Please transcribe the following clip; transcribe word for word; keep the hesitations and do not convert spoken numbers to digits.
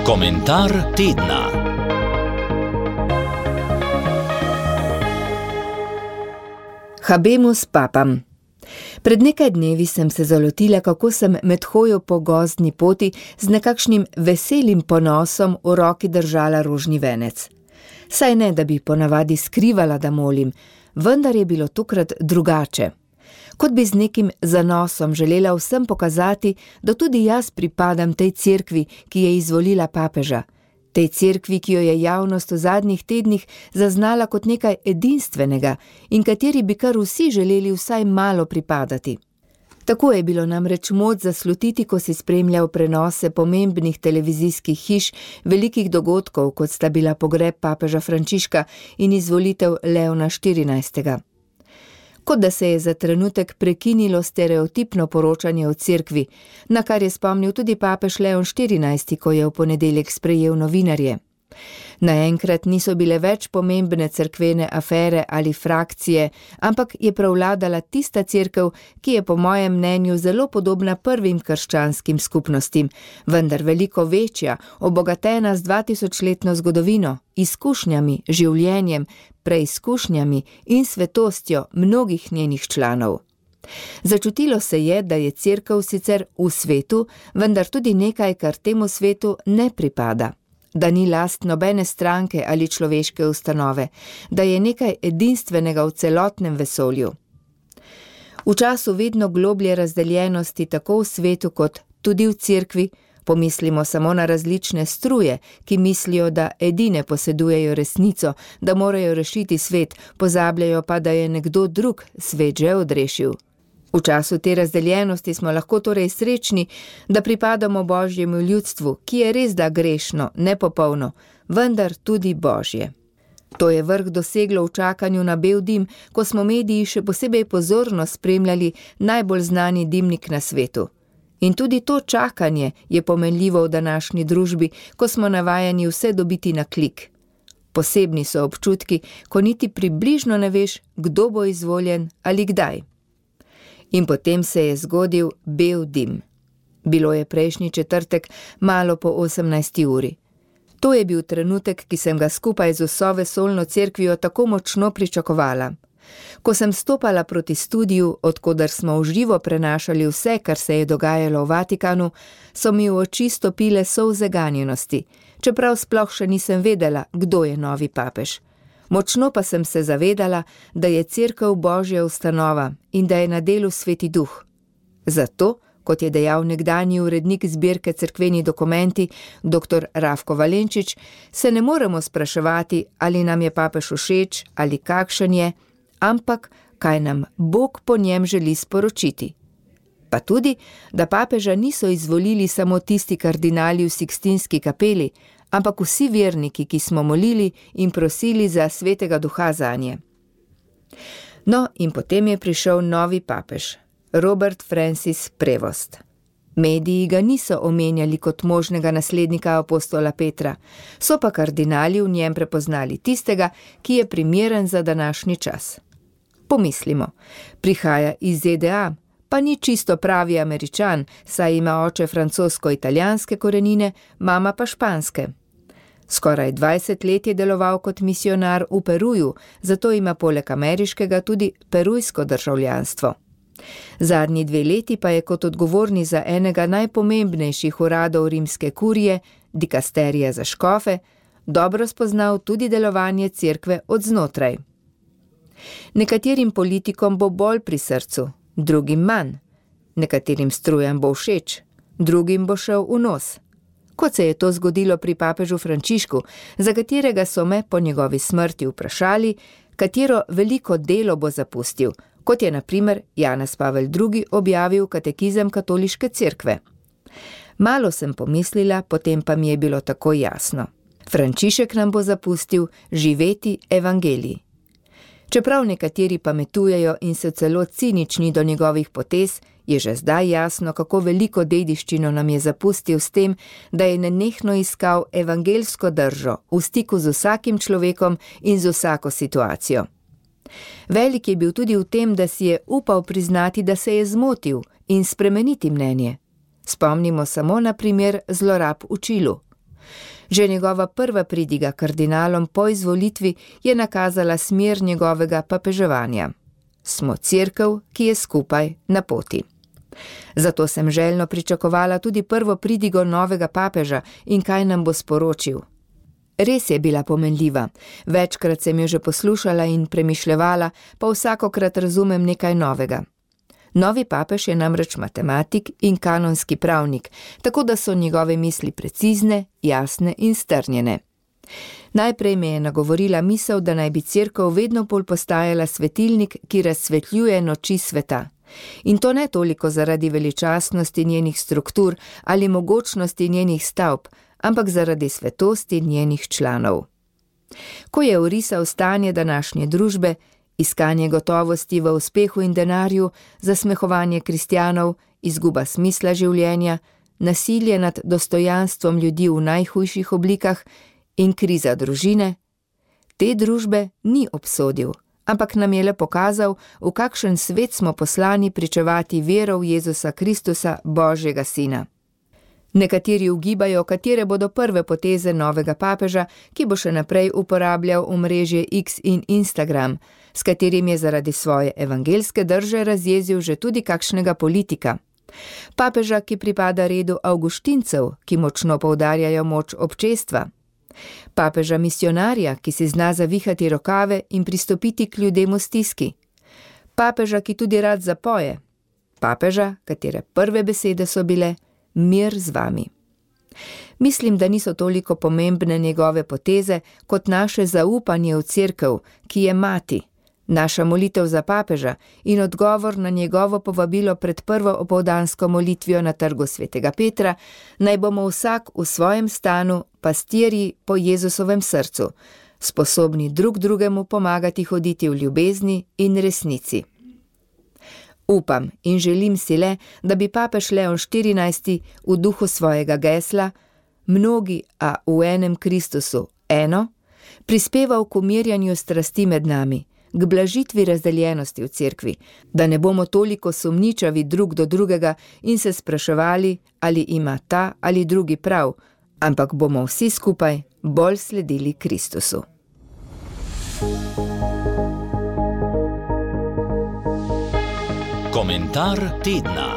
Komentar tedna. Habemus papam. Pred nekaj dnevi sem se zalotila, kako sem med hojo po gozdni poti z nekakšnim veselim ponosom v roki držala rožni venec. Saj ne, da bi ponavadi skrivala, da molim, vendar je bilo tokrat drugače. Kot bi z nekim zanosom želela vsem pokazati, da tudi jaz pripadam tej cerkvi, ki je izvolila papeža. Tej cerkvi, ki jo je javnost v zadnjih tednih zaznala kot nekaj edinstvenega in kateri bi kar vsi želeli vsaj malo pripadati. Tako je bilo namreč moč zaslutiti, ko si spremljal prenose pomembnih televizijskih hiš, velikih dogodkov, kot sta bila pogreb papeža Frančiška in izvolitev Leona štirinajstega. Kot da se je za trenutek prekinilo stereotipno poročanje o cerkvi, na kar je spomnil tudi papež Leon štirinajsti, ko je v ponedeljek sprejel novinarje. Naenkrat niso bile več pomembne cerkvene afere ali frakcije, ampak je prevladala tista cerkev, ki je po mojem mnenju zelo podobna prvim krščanskim skupnostim, vendar veliko večja, obogatena z dvatisočletno zgodovino, izkušnjami, življenjem, preizkušnjami in svetostjo mnogih njenih članov. Začutilo se je, da je cerkev sicer v svetu, vendar tudi nekaj, kar temu svetu ne pripada. Da ni last nobene stranke ali človeške ustanove, da je nekaj edinstvenega v celotnem vesolju. V času vedno globlje razdeljenosti tako v svetu kot tudi v cerkvi, pomislimo samo na različne struje, ki mislijo, da edine posedujejo resnico, da morajo rešiti svet, pozabljajo pa, da je nekdo drug svet že odrešil. V času te razdeljenosti smo lahko torej srečni, da pripadamo Božjemu ljudstvu, ki je res da grešno, nepopolno, vendar tudi Božje. To je vrh doseglo v čakanju na bel dim, ko smo mediji še posebej pozorno spremljali najbolj znani dimnik na svetu. In tudi to čakanje je pomenljivo v današnji družbi, ko smo navajeni vse dobiti na klik. Posebni so občutki, ko niti približno ne veš, kdo bo izvoljen ali kdaj. In potem se je zgodil bel dim. Bilo je prejšnji četrtek, malo po osemnajsti uri. To je bil trenutek, ki sem ga skupaj z vso vesoljno cerkvijo tako močno pričakovala. Ko sem stopala proti studiu, odkoder smo v živo prenašali vse, kar se je dogajalo v Vatikanu, so mi v oči stopile solze ganjenosti, čeprav sploh še nisem vedela, kdo je novi papež. Močno pa sem se zavedala, da je cerkev Božja ustanova in da je na delu Sveti Duh. Zato, kot je dejal nekdanji urednik zbirke Cerkveni dokumenti, doktor Rafko Valenčič, se ne moremo spraševati, ali nam je papež všeč ali kakšen je, ampak kaj nam Bog po njem želi sporočiti. Pa tudi, da papeža niso izvolili samo tisti kardinali v Sikstinski kapeli, ampak vsi verniki, ki smo molili in prosili za Svetega Duha zanje. No, in potem je prišel novi papež, Robert Francis Prevost. Mediji ga niso omenjali kot možnega naslednika apostola Petra, so pa kardinali v njem prepoznali tistega, ki je primeren za današnji čas. Pomislimo, prihaja iz Z D A, pa ni čisto pravi Američan, saj ima oče francosko-italijanske korenine, mama pa španske. Skoraj dvajset let je deloval kot misionar v Peruju, zato ima poleg ameriškega tudi perujsko državljanstvo. Zadnji dve leti pa je kot odgovorni za enega najpomembnejših uradov rimske kurije, dikasterija za škofe, dobro spoznal tudi delovanje cerkve od znotraj. Nekaterim politikom bo bolj pri srcu, drugim manj. Nekaterim strujam bo všeč, drugim bo šel v nos. Kot se je to zgodilo pri papežu Frančišku, za katerega so me po njegovi smrti vprašali, katero veliko delo bo zapustil, kot je na primer Janez Pavel drugi objavil katekizem katoliške cerkve. Malo sem pomislila, potem pa mi je bilo tako jasno. Frančišek nam bo zapustil živeti evangelij. Čeprav nekateri pametujejo in so celo cinični do njegovih potez, je že zdaj jasno, kako veliko dediščino nam je zapustil s tem, da je nenehno iskal evangeljsko držo v stiku z vsakim človekom in z vsako situacijo. Velik je bil tudi v tem, da si je upal priznati, da se je zmotil in spremeniti mnenje. Spomnimo samo na primer zlorab v Čilu. Že njegova prva pridiga kardinalom po izvolitvi je nakazala smer njegovega papeževanja. Smo cerkev, ki je skupaj na poti. Zato sem željno pričakovala tudi prvo pridigo novega papeža in kaj nam bo sporočil. Res je bila pomenljiva, večkrat sem jo že poslušala in premišljevala, pa vsakokrat razumem nekaj novega. Novi papež je namreč matematik in kanonski pravnik, tako da so njegove misli precizne, jasne in strnjene. Najprej me je nagovorila misel, da naj bi cerkev vedno bolj postajala svetilnik, ki razsvetljuje noči sveta. In to ne toliko zaradi veličastnosti njenih struktur ali mogočnosti njenih stavb, ampak zaradi svetosti njenih članov. Ko je orisal stanje današnje družbe, iskanje gotovosti v uspehu in denarju, zasmehovanje kristjanov, izguba smisla življenja, nasilje nad dostojanstvom ljudi v najhujših oblikah in kriza družine, te družbe ni obsodil, ampak nam je le pokazal, v kakšen svet smo poslani pričevati vero v Jezusa Kristusa, Božjega Sina. Nekateri ugibajo, katere bodo prve poteze novega papeža, ki bo še naprej uporabljal omrežje X in Instagram, s katerim je zaradi svoje evangelske drže razjezil že tudi kakšnega politika. Papeža, ki pripada redu avguštincev, ki močno poudarjajo moč občestva. Papeža misionarja, ki si zna zavihati rokave in pristopiti k ljudem v stiski. Papeža, ki tudi rad zapoje. Papeža, katere prve besede so bile: mir z vami. Mislim, da niso toliko pomembne njegove poteze, kot naše zaupanje v cerkev, ki je mati, naša molitev za papeža in odgovor na njegovo povabilo pred prvo opoldansko molitvijo na trgu svetega Petra, naj bomo vsak v svojem stanu pastirji po Jezusovem srcu, sposobni drug drugemu pomagati hoditi v ljubezni in resnici. Upam in želim si le, da bi papež Leon štirinajsti v duhu svojega gesla mnogi, a v enem Kristusu eno, prispeval k umirjanju strasti med nami, k blažitvi razdeljenosti v cerkvi, da ne bomo toliko sumničavi drug do drugega in se spraševali, ali ima ta ali drugi prav, ampak bomo vsi skupaj bolj sledili Kristusu. Komentar tedna.